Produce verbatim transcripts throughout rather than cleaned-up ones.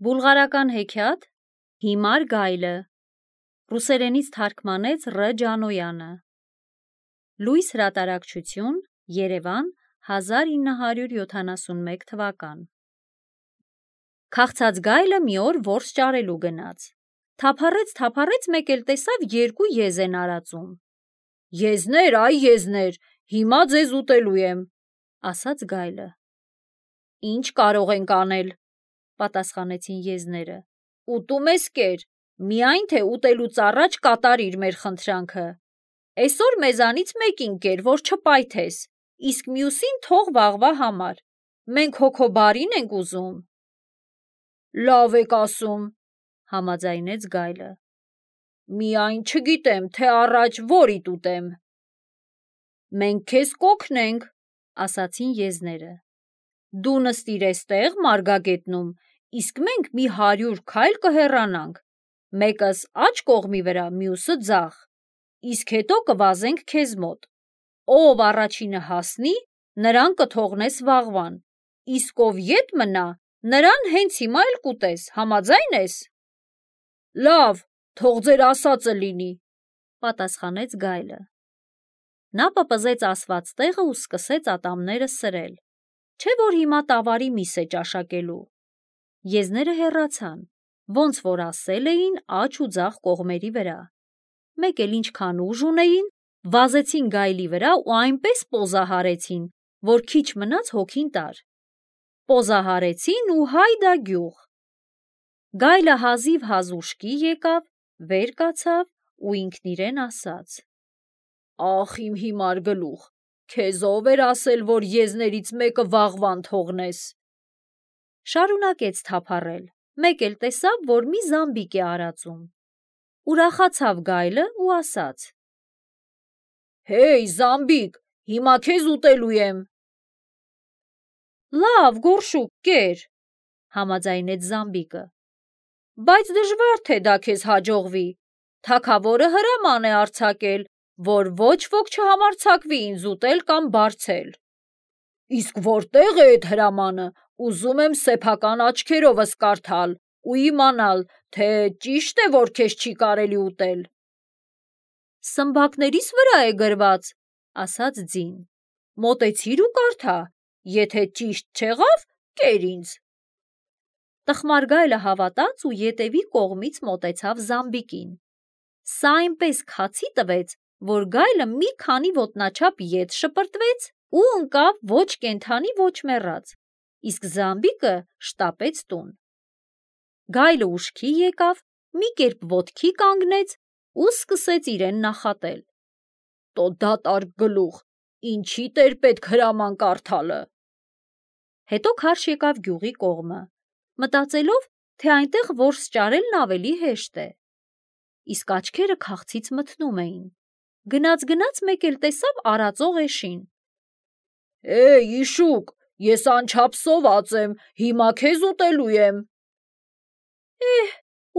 Բուլղարական հեքիաթ Հիմար գայլը ռուսերենից թարգմանեց Ռ. Ջանոյանը Լույս հրատարակչություն Երևան հազար ինը հարյուր յոթանասունմեկ թվական Քաղցած գայլը մի օր որս ճարելու գնաց թափառեց թափառեց մեկ էլ տեսավ երկու եզ են արածում Եզներ, այ եզներ, հիմա ձեզ ուտելու եմ, ասաց գայլը։ Ինչ կարող ենք անել, պատասխանեցին եզները։ Ուտում ես կեր, միայն թե ուտելուց առաջ կատարիր մեր խնդրանքը։ Այսօր մեզանից մեկին կեր, որ չպայթես, իսկ մյուսին թող վաղվա համար։ Մենք հոգոբարին ենք ուզում։ Լավ եք ասում, համաձայնեց գայլը։ Միայն չգիտեմ, թե առաջ որիդ ուտեմ։ Մենք քեզ կօգնենք, ասացին եզները։ Դու նստիր էստեղ մարգագետնում, իսկ մենք մի հարյուր քայլ կհեռանանք, մեկս աջ կողմի վրա, մյուսը ձախ, իսկ հետո կվազենք քեզ մոտ։ Ով առաջինը հասնի, նրան կթողնես վաղվան, իսկ ով ետ մնա, նրան հենց հիմա էլ կուտես, համաձայն ես։ Լավ, թող ձեր ասածը լինի, պատասխանեց գայլը։ Նա պպզեց ասված տեղը ու սկսեց ատամները սրել, չէ որ հիմա տավարի միս է ճաշակելու։ Եզները հեռացան, ոնց որ ասել էին աջ ու ձախ կողմերի վրա։ Մեկ էլ ինչքան ուժ ունեին, վազեցին գայլի վրա ու այնպես պոզահարեցին, որ քիչ մնաց հոգին տար։ Պոզահարեցին ու հայդա գյուղ։ Գայլը հազիվ-հազ ուշքի եկավ, վեր կացավ ու ինքն իրեն ասաց. Ախ իմ հիմար գլուխ, քեզ ով էր ասել, որ եզներից մեկը վաղվան թողնես։ Շարունակեց թափառել, մեկ էլ տեսավ, որ մի զամբիկ է արածում։ Ուրախացավ գայլը ու ասաց. Հեյ, զամբիկ, հիմա քեզ ուտելու եմ։ Լավ, գորշուկ, կեր, համաձայնեց զամբիկը։ Բայց դժվար թե դա քեզ հաջողվի։ Թագավորը հրաման է արձակել, որ ոչ ոք չհամարձակվի ինձ ուտել կամ բարձել։ Իսկ որտեղ է այդ հրամանը, ուզում եմ սեփական աչքերովս կարդալ ու իմանալ, թե ճիշտ է, որ քեզ չի կարելի ուտել։ Սմբակներիս վրա է գրված, ասաց ձին։ Մոտեցիր ու կարդա, եթե ճիշտ չեղավ, կեր ինձ։ Տխմար գայլը հավատաց ու ետևի կողմից մոտեցավ զամբիկին։ Սա այնպես քացի տվեց, որ գայլը մի քանի ոտնաչափ ետ շպրտվեց ու ընկավ ոչ կենդանի, ոչ մեռած, իսկ զամբիկը շտապեց տուն։ Գայլը ուշքի եկավ, մի կերպ ոտքի կանգնեց ու սկսեց իրեն նախատել։ Տո դատարկ գլուխ, ինչի՞դ էր պետք հրաման կարդալը։ Հետո քարշ եկավ գյուղի կողմը, մտածելով, թե այնտեղ որս ճարելն ավելի հեշտ է։ Իսկ աչքերը քաղցից մթնում էին։ Գնաց-գնաց մեկ էլ տեսավ արածող էշին։ Էй, իշուկ, ես անչափ սոված եմ, հիմա քեզ ուտելու եմ։ Էհ,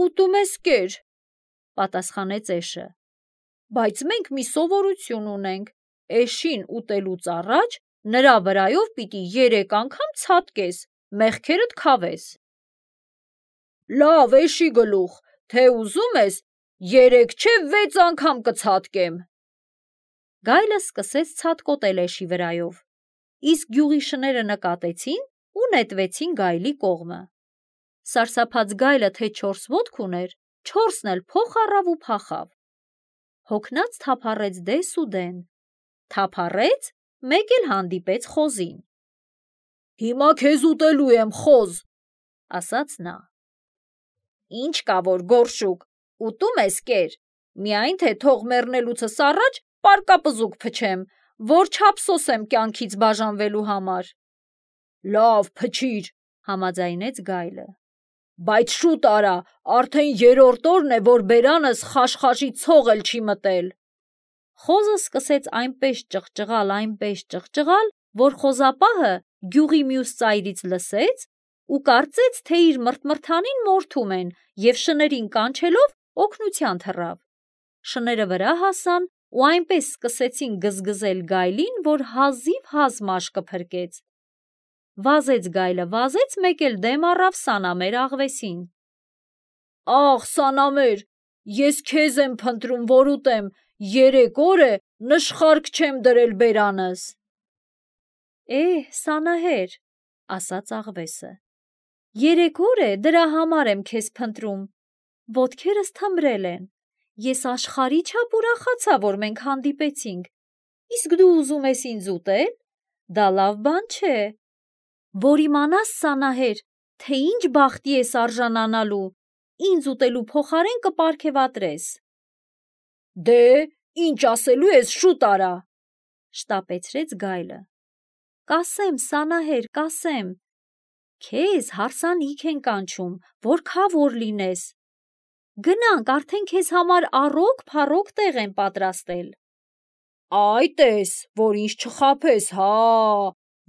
ուտում ես կեր, պատասխանեց էշը։ Բայց մենք մի սովորություն ունենք, էշին ուտելուց առաջ նրա վրայով պիտի երեք անգամ ցատկես, մեղքերդ քավես։ Լավ, էշի գլուխ, թե ուզում ես, երեք չէ վեց անգամ կցատկեմ։ Գայլը սկսեց ցատկոտել էշի վրայով, իսկ գյուղի շները նկատեցին ու նետվեցին գայլի կողմը։ Սարսափած գայլը թե չորս ոտք ուներ, չորսն էլ փոխ առավ ու փախավ։ Հոգնած թափառեց դես ու դեն, թափառեց, մեկ էլ հանդիպեց խոզին։ Հիմա քեզ ուտելու եմ, խոզ, ասաց նա։ Ինչ կա որ գորշուկ, ուտում ես կեր, միայն թե թող մեռնելուցս առաջ պարկապզուկ փչեմ, որ չափսոսեմ կյանքից բաժանվելու համար։ Լավ, փչիր, համաձայնեց գայլը։ Բայց շուտ արա, արդեն երրորդ օրն է, որ բերանս խաշխաշի ցող էլ չի մտել։ Խոզը սկսեց այնպես ճղճղալ, այնպես ճղճղալ, որ խոզապահը գյուղի մյուս ծայրից լսեց ու կարծեց, թե իր մրթմրթանին մորթում են և շներին կանչելով օգնության թռավ։ Շները վրա հասան ու այնպես սկսեցին գզգզել գայլին, որ հազիվ-հազ մաշկը փրկեց։ Վազեց գայլը, վազեց, մեկ էլ դեմ առավ սանամեր աղվեսին։ Աղ, սանամեր, ես քեզ եմ փնտրում, որ ուտեմ, երեք օր է նշխարք չեմ դրել բերանս։ Էհ, սանահեր, ասաց աղվեսը, երեք օր է դրա համար եմ քեզ փնտրում, ոտքերս թմրել են, ես աշխարհի չափ ուրախացա, որ մենք հանդիպեցինք, իսկ դու ուզում ես ինձ ուտել, դա լավ բան չէ, որ իմանաս սանահեր, թե ինչ բախտի ես արժանանալու, ինձ ուտելու փոխարեն կպարգևատրես։ Դե, ինչ ասելու ես, շուտ արա, շտապեցրեց գայլը։ Կասեմ, սանահեր, կասեմ, քեզ հարսանիք են կանչում, որ քավոր լինես։ Գնանք, արդեն քեզ համար առոգ փառոգ տեղ են պատրաստել։ Այ տես, որ ինչ չխաբես, հա,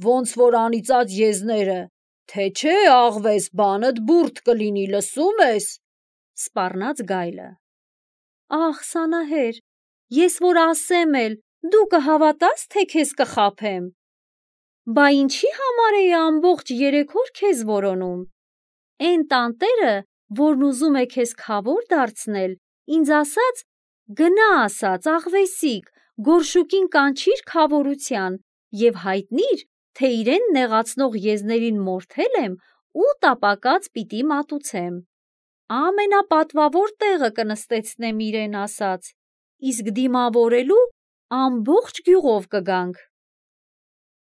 ոնց որ անիծած եզները, թե չէ աղվես բանդ բուրդ կլինի, լսում ես, սպառնաց գայլը։ Ախ, սանահեր, ես որ ասեմ էլ, դու կհավատաս, թե քեզ կխաբեմ։ Բա ինչի համար էի ամբողջ երեք օր քեզ որոնում։ Էն տանտերը, որն ուզում է քեզ քավոր դարձնել, ինձ ասաց, գնա ասաց, աղվեսիկ, գորշուկին կանչիր քավորության եւ հայտնիր, թե իրեն նեղացնող եզներին մորթել եմ ու տապակած պիտի մատուցեմ։ Ամենապատվավոր տեղը կնստեցնեմ իրեն ասաց, իսկ դիմավորելու ամբողջ գյուղով կգանք։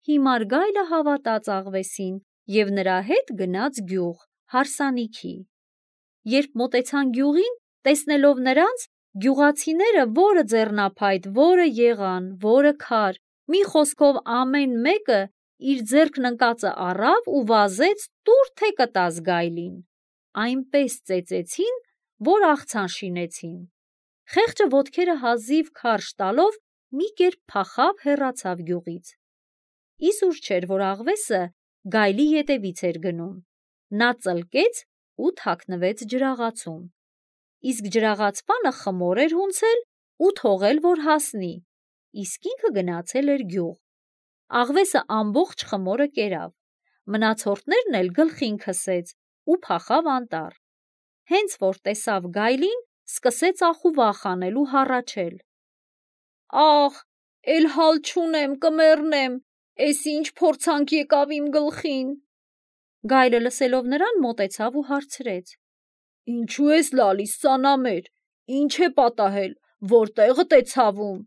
Հիմար գայլը հավատաց աղվեսին եւ նրա հետ գնաց գյուղ, հարսանիքի։ Երբ մոտեցան գյուղին, տեսնելով նրանց, գյուղացիները որը ձեռնափայտ, որը եղան, որը քար, մի խոսքով ամեն մեկը իր ձեռքն ընկածը առավ ու վազեց տուր թե կտաս գայլին։ Այնպես ծեծեցին, որ աղցան շինեցին։ Խեղճը ոտքերը հազիվ քարշ տալով մի կերպ փախավ հեռացավ գյուղից։ Իսուր չէր, որ աղվեսը գայլի ետևից էր գնում։ Նա ծլկեց ու թաքնվեց ջրաղացում։ Իսկ ջրաղացպանը խմոր էր հունցել ու թողել, որ հասնի, իսկ ինքը գնացել էր գյուղ։ Աղվեսը ամբողջ խմորը կերավ, մնացորդներն էլ գլխին քսեց ու փախավ անտառ։ Հենց որ տեսավ գայլին, սկսեց ախուվախ անել ու հառաչել։ Աղ, էլ հալ չունեմ, կմեռնեմ, էս ինչ փորձանք եկավ իմ գլխին։ Գայլը լսելով նրան մոտեցավ ու հարցրեց. Ինչու ես լալիս, սանամեր, ինչ է պատահել, որտեղդ է ցավում։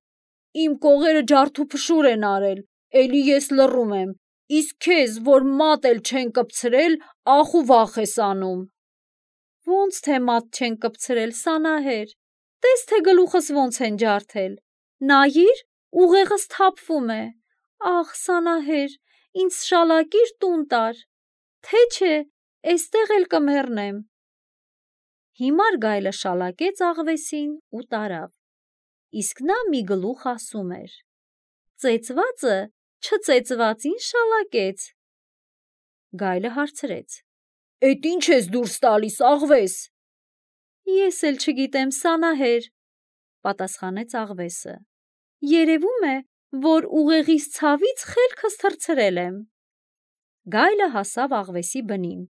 Իմ կողերը ջարդուփշուր են արել, էլի ես լռում եմ, իսկ քեզ, որ մատ էլ չեն կպցրել, ախ ու վախ ես անում։ Ոնց թե մատ չեն կպցրել, սանահեր, տես թե գլուխս ոնց են ջարդել, նայիր, ուղեղս թափվում է, ախ, սանահեր, ինձ շալակիր տուն տար, թե չէ, էստեղ էլ կմեռնեմ։ Հիմար գայլը շալակեց աղվեսին ու տարավ, իսկ նա մի գլուխ ասում էր. ծեծվածը չծեծվածին շալակեց։ Գայլը հարցրեց. Էդ ինչ ես դուրս տալիս, աղվես։ Ես էլ չգիտեմ, սանահեր, պատասխանեց աղվեսը։ Երևում է, որ ուղեղիս ցավից խելքս թռցրել եմ։ Գայլը հասավ աղվեսի բնին։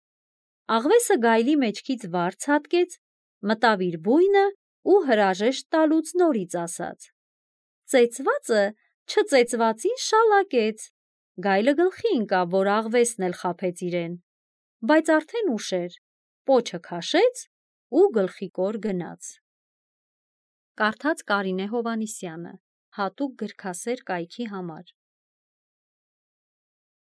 Աղվեսը գայլի մեջքից վար ցատկեց, մտավ իր բույնը ու հրաժեշտ տալուց նորից ասաց. ծեծվածը չծեծվածին շալակեց։ Գայլը գլխի ընկավ, որ աղվեսն էլ խաբեց իրեն, բայց արդեն ուշ էր, պոչը քաշեց ու գլխիկոր գնաց։ Կարդաց Կարինե Հովհաննիսյանը, հատուկ գրքասեր կայքի համար։